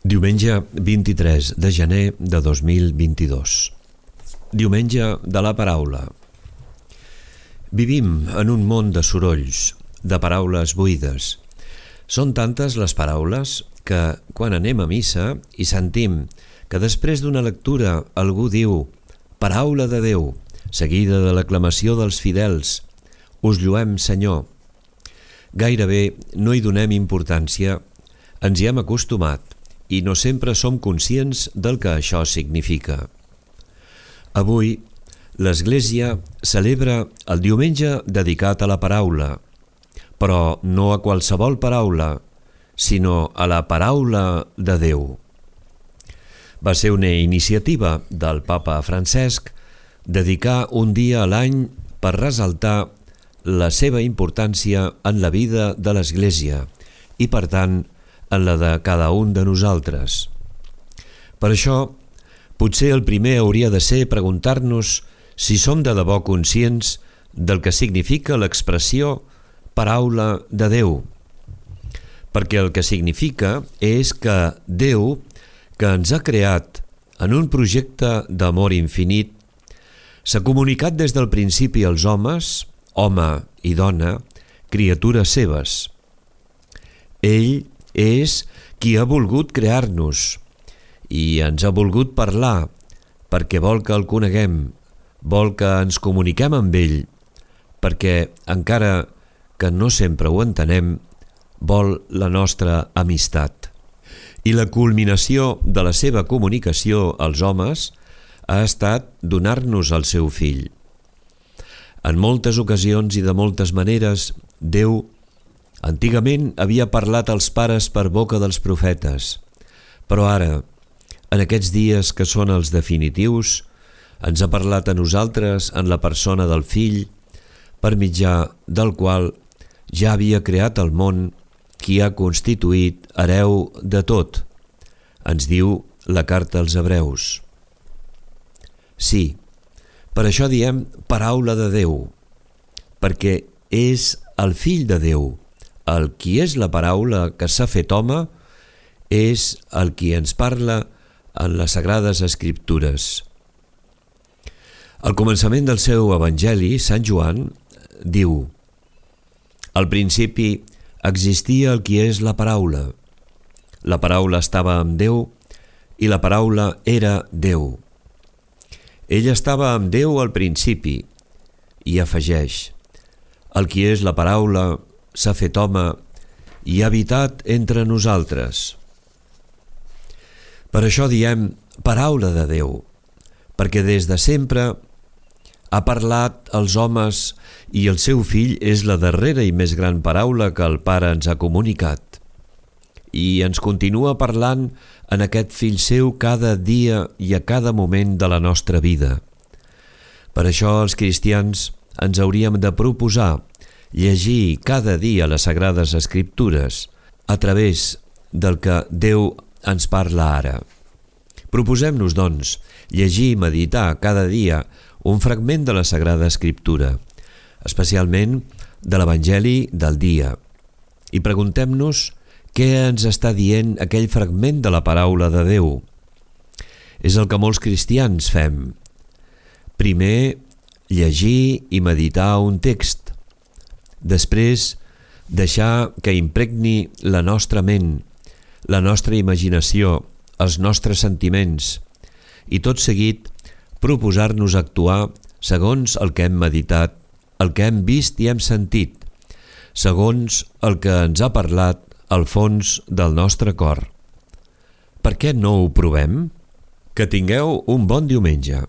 Diumenge 23 de gener de 2022. Diumenge de la paraula. Vivim en un món de sorolls, de paraules buides. Són tantes les paraules que, quan anem a missa i sentim que després d'una lectura algú diu «Paraula de Déu», seguida de l'aclamació dels fidels «Us lloem, Senyor», gairebé no hi donem importància, ens hi hem acostumat i no sempre som conscients del que això significa. Avui, l'Església celebra el diumenge dedicat a la paraula, però no a qualsevol paraula, sinó a la paraula de Déu. Va ser una iniciativa del Papa Francesc dedicar un dia a l'any per ressaltar la seva importància en la vida de l'Església i, per tant, en la de cada un de nosaltres. Per això, potser el primer hauria de ser preguntar-nos si som de debò conscients del que significa l'expressió paraula de Déu. Perquè el que significa és que Déu, que ens ha creat en un projecte d'amor infinit, s'ha comunicat des del principi als homes, home i dona, criatures seves. Ell és qui ha volgut crear-nos i ens ha volgut parlar perquè vol que el coneguem, vol que ens comuniquem amb ell, perquè, encara que no sempre ho entenem, vol la nostra amistat. I la culminació de la seva comunicació als homes ha estat donar-nos el seu fill. En moltes ocasions i de moltes maneres, Déu antigament havia parlat als pares per boca dels profetes, però ara, en aquests dies que són els definitius, ens ha parlat a nosaltres en la persona del Fill, per mitjà del qual ja havia creat el món, qui ha constituït hereu de tot, ens diu la carta als Hebreus. Sí, per això diem paraula de Déu, perquè és el Fill de Déu, el qui és la paraula que s'ha fet home, és el qui ens parla en les Sagrades Escriptures. Al començament del seu Evangeli, Sant Joan diu: «Al principi existia el qui és la paraula. La paraula estava amb Déu i la paraula era Déu. Ell estava amb Déu al principi», i afegeix: «El qui és la paraula s'ha fet home i ha habitat entre nosaltres». Per això diem paraula de Déu, perquè des de sempre ha parlat als homes i el seu Fill és la darrera i més gran paraula que el Pare ens ha comunicat. I ens continua parlant en aquest Fill seu cada dia i a cada moment de la nostra vida. Per això els cristians ens hauríem de proposar llegir cada dia les Sagrades Escriptures a través del que Déu ens parla ara. Proposem-nos, doncs, llegir i meditar cada dia un fragment de la Sagrada Escriptura, especialment de l'Evangeli del dia, i preguntem-nos què ens està dient aquell fragment de la paraula de Déu. És el que molts cristians fem. Primer, llegir i meditar un text. Després, deixar que impregni la nostra ment, la nostra imaginació, els nostres sentiments, i tot seguit proposar-nos actuar segons el que hem meditat, el que hem vist i hem sentit, segons el que ens ha parlat al fons del nostre cor. Per què no ho provem? Que tingueu un bon diumenge.